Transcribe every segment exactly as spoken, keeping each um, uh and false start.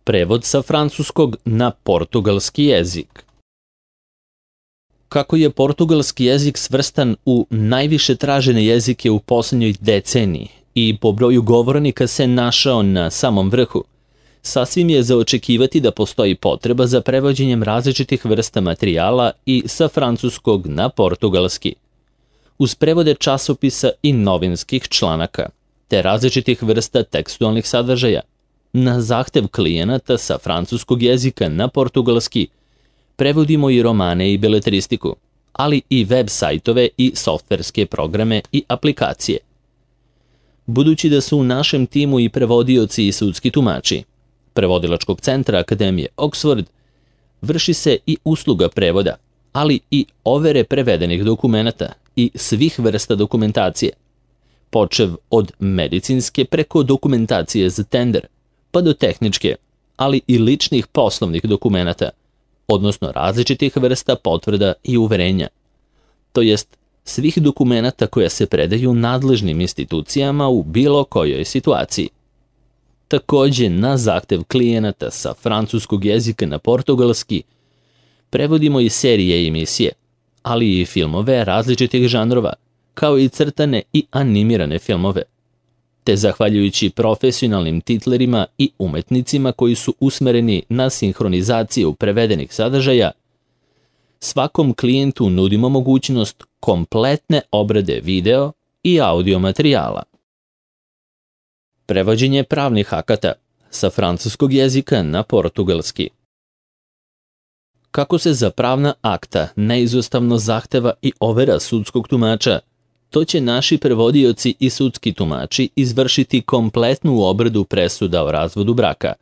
Prevod sa francuskog na portugalski jezik. Kako je portugalski jezik svrstan u najviše tražene jezike u posljednjoj deceniji i po broju govornika se našao na samom vrhu, sasvim je za očekivati da postoji potreba za prevođenjem različitih vrsta materijala i sa francuskog na portugalski, uz prevode časopisa i novinskih članaka, te različitih vrsta tekstualnih sadržaja. Na zahtev klijenata sa francuskog jezika na portugalski prevodimo i romane i beletristiku, ali i web sajtove i softverske programe i aplikacije. Budući da su u našem timu i prevodioci i sudski tumači Prevodilačkog centra Akademije Oxford, vrši se i usluga prevoda, ali i overe prevedenih dokumenata i svih vrsta dokumentacije, počev od medicinske preko dokumentacije za tender, pa do tehničke, ali i ličnih poslovnih dokumenata, odnosno različitih vrsta potvrda i uverenja, to jest svih dokumenata koja se predaju nadležnim institucijama u bilo kojoj situaciji. Takođe, na zahtev klijenata sa francuskog jezika na portugalski prevodimo i serije i emisije, ali i filmove različitih žanrova, kao i crtane i animirane filmove, te zahvaljujući profesionalnim titlerima i umetnicima koji su usmereni na sinhronizaciju prevedenih sadržaja, svakom klijentu nudimo mogućnost kompletne obrade video i audio materijala. Prevođenje pravnih akata sa francuskog jezika na portugalski. Kako se za pravna akta neizostavno zahteva i overa sudskog tumača, to će naši prevodioci i sudski tumači izvršiti kompletnu obradu presuda o razvodu braka,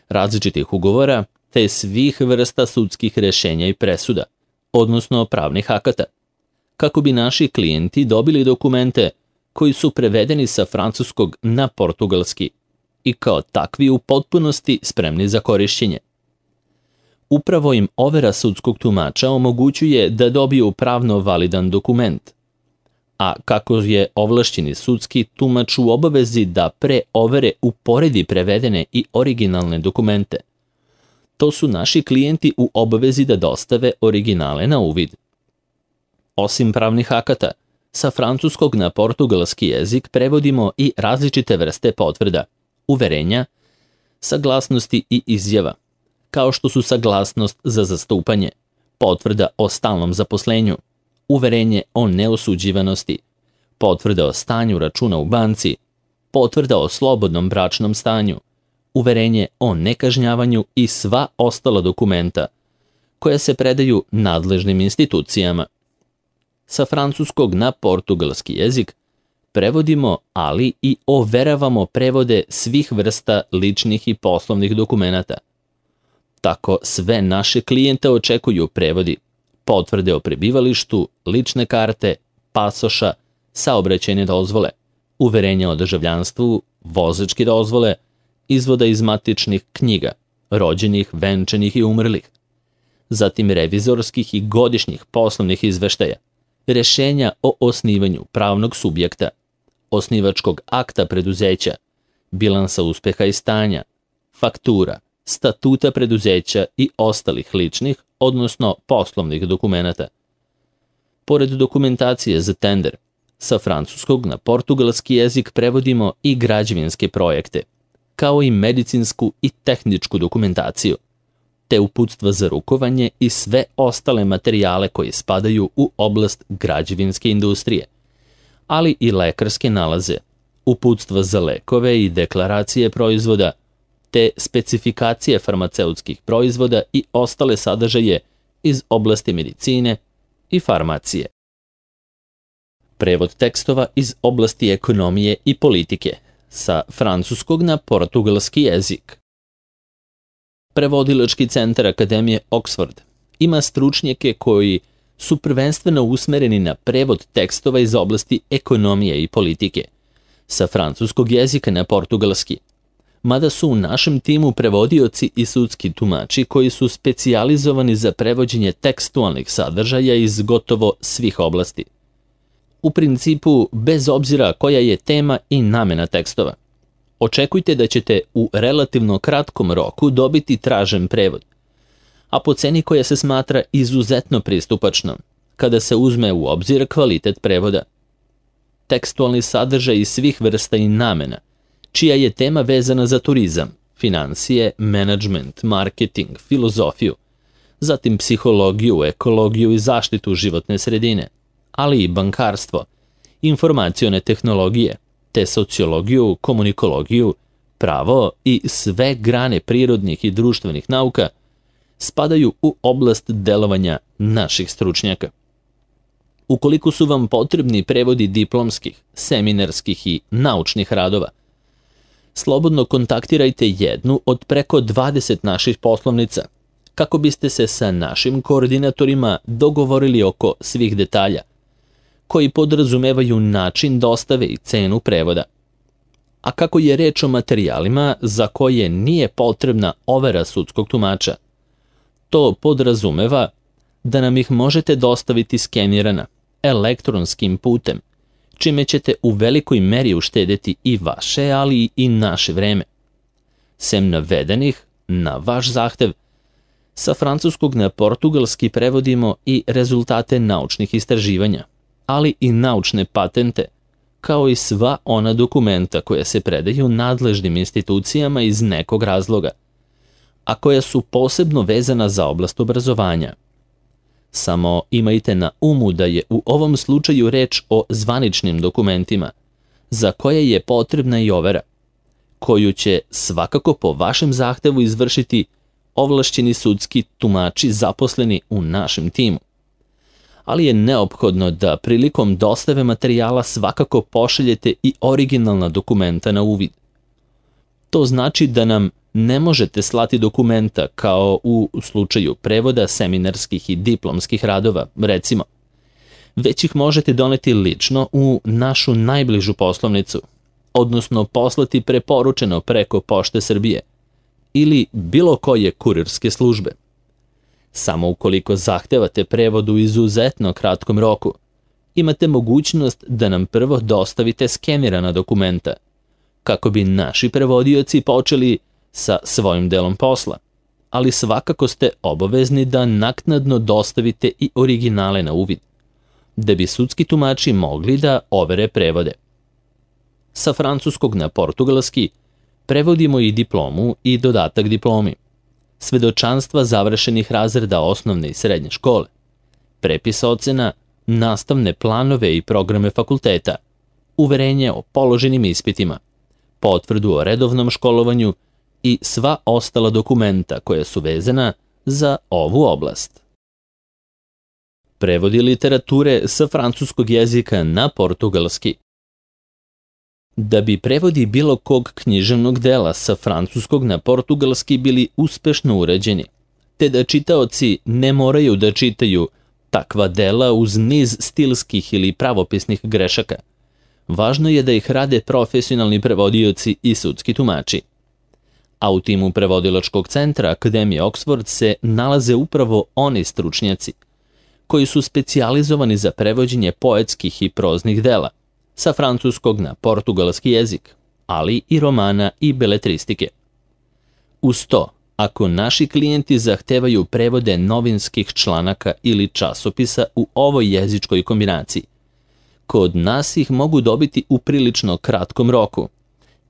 različitih ugovora te svih vrsta sudskih rešenja i presuda, odnosno pravnih akata, kako bi naši klijenti dobili dokumente koji su prevedeni sa francuskog na portugalski i kao takvi u potpunosti spremni za korišćenje. Upravo im overa sudskog tumača omogućuje da dobiju pravno validan dokument, a kako je ovlašćeni sudski tumač u obavezi da pre overe uporedi prevedene i originalne dokumente, to su naši klijenti u obavezi da dostave originale na uvid. Osim pravnih akata, sa francuskog na portugalski jezik prevodimo i različite vrste potvrda, uverenja, saglasnosti i izjava, kao što su saglasnost za zastupanje, potvrda o stalnom zaposlenju, uverenje o neosuđivanosti, potvrda o stanju računa u banci, potvrda o slobodnom bračnom stanju, uverenje o nekažnjavanju i sva ostala dokumenta koja se predaju nadležnim institucijama. Sa francuskog na portugalski jezik prevodimo, ali i overavamo prevode svih vrsta ličnih i poslovnih dokumenata. Tako sve naše klijente očekuju prevodi, potvrde o prebivalištu, lične karte, pasoša, saobraćajne dozvole, uverenja o državljanstvu, vozačke dozvole, izvoda iz matičnih knjiga, rođenih, venčanih i umrlih, zatim revizorskih i godišnjih poslovnih izveštaja, rešenja o osnivanju pravnog subjekta, osnivačkog akta preduzeća, bilansa uspeha i stanja, faktura, statuta preduzeća i ostalih ličnih, odnosno poslovnih dokumenata. Pored dokumentacije za tender, sa francuskog na portugalski jezik prevodimo i građevinske projekte, kao i medicinsku i tehničku dokumentaciju, te uputstva za rukovanje i sve ostale materijale koji spadaju u oblast građevinske industrije, ali i lekarske nalaze, uputstva za lekove i deklaracije proizvoda, te specifikacije farmaceutskih proizvoda i ostale sadržaje iz oblasti medicine i farmacije. Prevod tekstova iz oblasti ekonomije i politike sa francuskog na portugalski jezik. Prevodilački centar Akademije Oxford ima stručnjake koji su prvenstveno usmereni na prevod tekstova iz oblasti ekonomije i politike sa francuskog jezika na portugalski, mada su u našem timu prevodioci i sudski tumači koji su specijalizovani za prevođenje tekstualnih sadržaja iz gotovo svih oblasti. U principu, bez obzira koja je tema i namena tekstova, Očekujte da ćete u relativno kratkom roku dobiti tražen prevod, a po ceni koja se smatra izuzetno pristupačnom, kada se uzme u obzir kvalitet prevoda. Tekstualni sadržaj svih vrsta i namena, čija je tema vezana za turizam, financije, menadžment, marketing, filozofiju, zatim psihologiju, ekologiju i zaštitu životne sredine, ali i bankarstvo, informacione tehnologije, te sociologiju, komunikologiju, pravo i sve grane prirodnih i društvenih nauka spadaju u oblast delovanja naših stručnjaka. Ukoliko su vam potrebni prevodi diplomskih, seminarskih i naučnih radova, slobodno kontaktirajte jednu od preko dvadeset naših poslovnica, kako biste se sa našim koordinatorima dogovorili oko svih detalja, koji podrazumevaju način dostave i cenu prevoda. A kako je reč o materijalima za koje nije potrebna overa sudskog tumača, to podrazumeva da nam ih možete dostaviti skenirana, elektronskim putem, čime ćete u velikoj meri uštedeti i vaše, ali i naše vreme. Sem navedenih, na vaš zahtev, sa francuskog na portugalski prevodimo i rezultate naučnih istraživanja, ali i naučne patente, kao i sva ona dokumenta koja se predaju nadležnim institucijama iz nekog razloga, a koja su posebno vezana za oblast obrazovanja. Samo imajte na umu da je u ovom slučaju reč o zvaničnim dokumentima, za koje je potrebna i overa, koju će svakako po vašem zahtevu izvršiti ovlašćeni sudski tumači zaposleni u našem timu. Ali je neophodno da prilikom dostave materijala svakako pošaljete i originalna dokumenta na uvid. To znači da nam ne možete slati dokumenta kao u slučaju prevoda seminarskih i diplomskih radova, recimo, već ih možete doneti lično u našu najbližu poslovnicu, odnosno poslati preporučeno preko Pošte Srbije ili bilo koje kurirske službe. Samo ukoliko zahtevate prevod u izuzetno kratkom roku, imate mogućnost da nam prvo dostavite skenirana dokumenta, kako bi naši prevodioci počeli sa svojim delom posla, ali svakako ste obavezni da naknadno dostavite i originale na uvid, da bi sudski tumači mogli da overe prevode. Sa francuskog na portugalski prevodimo i diplomu i dodatak diplomi, svedočanstva završenih razreda osnovne i srednje škole, prepis ocena, nastavne planove i programe fakulteta, uverenje o položenim ispitima, potvrdu o redovnom školovanju i sva ostala dokumenta koja su vezana za ovu oblast. Prevodi literature sa francuskog jezika na portugalski. Da bi prevodi bilo kog književnog dela sa francuskog na portugalski bili uspešno urađeni, te da čitaoci ne moraju da čitaju takva dela uz niz stilskih ili pravopisnih grešaka, važno je da ih rade profesionalni prevodioci i sudski tumači. A u timu prevodilačkog centra Akademije Oxford se nalaze upravo oni stručnjaci, koji su specijalizovani za prevođenje poetskih i proznih dela, sa francuskog na portugalski jezik, ali i romana i beletristike. Uz to, ako naši klijenti zahtevaju prevode novinskih članaka ili časopisa u ovoj jezičkoj kombinaciji, kod nas ih mogu dobiti u prilično kratkom roku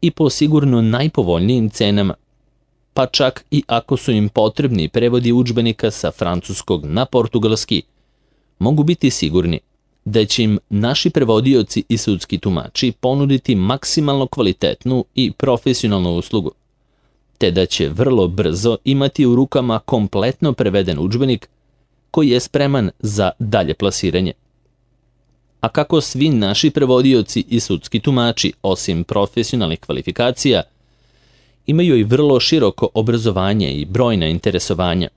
i po sigurno najpovoljnijim cenama, pa čak i ako su im potrebni prevodi udžbenika sa francuskog na portugalski, mogu biti sigurni da će im naši prevodioci i sudski tumači ponuditi maksimalno kvalitetnu i profesionalnu uslugu, te da će vrlo brzo imati u rukama kompletno preveden udžbenik koji je spreman za dalje plasiranje. A kako svi naši prevodioci i sudski tumači, osim profesionalnih kvalifikacija, imaju i vrlo široko obrazovanje i brojna interesovanja,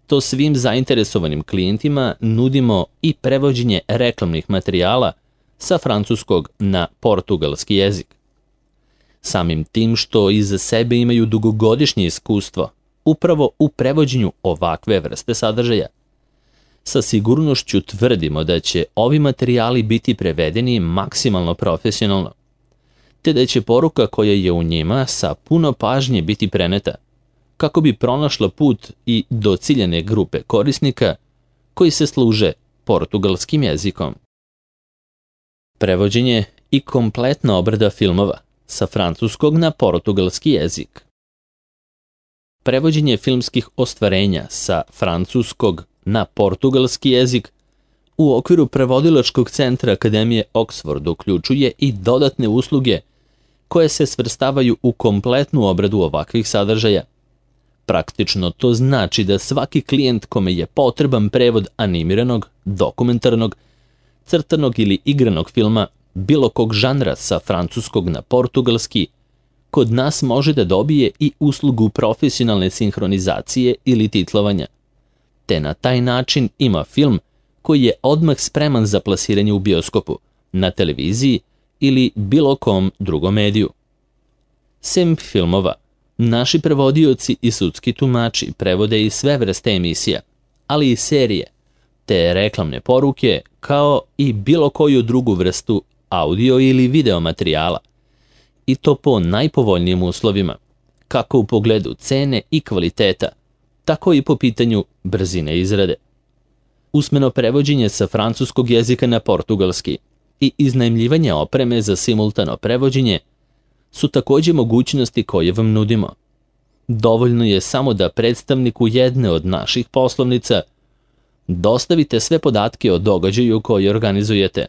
to svim zainteresovanim klijentima nudimo i prevođenje reklamnih materijala sa francuskog na portugalski jezik. Samim tim što iza sebe imaju dugogodišnje iskustvo upravo u prevođenju ovakve vrste sadržaja, sa sigurnošću tvrdimo da će ovi materijali biti prevedeni maksimalno profesionalno, te da će poruka koja je u njima sa puno pažnje biti preneta, kako bi pronašla put i do ciljane grupe korisnika koji se služe portugalskim jezikom. Prevođenje i kompletna obrada filmova sa francuskog na portugalski jezik. Prevođenje filmskih ostvarenja sa francuskog na portugalski jezik u okviru prevodilačkog centra Akademije Oxford uključuje i dodatne usluge koje se svrstavaju u kompletnu obradu ovakvih sadržaja. Praktično to znači da svaki klijent kome je potreban prevod animiranog, dokumentarnog, crtanog ili igranog filma bilo kog žanra sa francuskog na portugalski, kod nas može da dobije i uslugu profesionalne sinhronizacije ili titlovanja, te na taj način ima film koji je odmah spreman za plasiranje u bioskopu, na televiziji ili bilo kom drugom mediju. Sem filmova, naši prevodioci i sudski tumači prevode i sve vrste emisija, ali i serije, te reklamne poruke, kao i bilo koju drugu vrstu audio ili video materijala, i to po najpovoljnijim uslovima, kako u pogledu cene i kvaliteta, tako i po pitanju brzine izrade. Usmeno prevođenje sa francuskog jezika na portugalski i iznajmljivanje opreme za simultano prevođenje su također mogućnosti koje vam nudimo. Dovoljno je samo da predstavniku jedne od naših poslovnica dostavite sve podatke o događaju koji organizujete,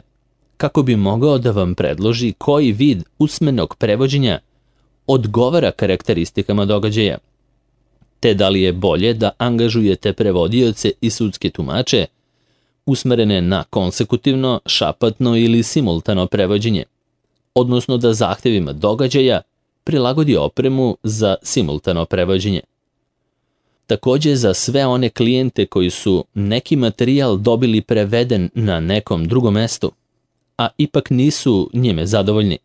kako bi mogao da vam predloži koji vid usmenog prevođenja odgovara karakteristikama događaja, te da li je bolje da angažujete prevodioce i sudske tumače usmerene na konsekutivno, šapatno ili simultano prevođenje, odnosno da zahtevima događaja prilagodi opremu za simultano prevođenje. Također za sve one klijente koji su neki materijal dobili preveden na nekom drugom mestu, a ipak nisu njime zadovoljni,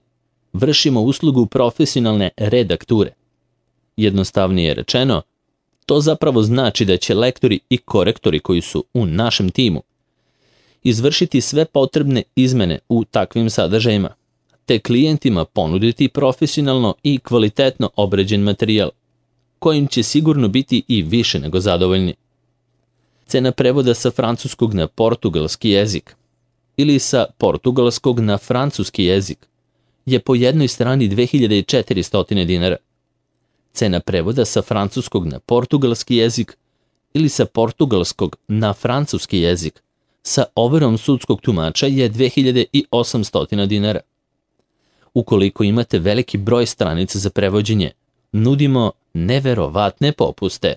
vršimo uslugu profesionalne redakture. Jednostavnije rečeno, to zapravo znači da će lektori i korektori koji su u našem timu izvršiti sve potrebne izmene u takvim sadržajima, te klijentima ponuditi profesionalno i kvalitetno obrađen materijal, kojim će sigurno biti i više nego zadovoljni. Cena prevoda sa francuskog na portugalski jezik ili sa portugalskog na francuski jezik je po jednoj strani dve hiljade četiristo dinara. Cena prevoda sa francuskog na portugalski jezik ili sa portugalskog na francuski jezik sa overom sudskog tumača je dve hiljade osamsto dinara. Ukoliko imate veliki broj stranica za prevođenje, nudimo neverovatne popuste.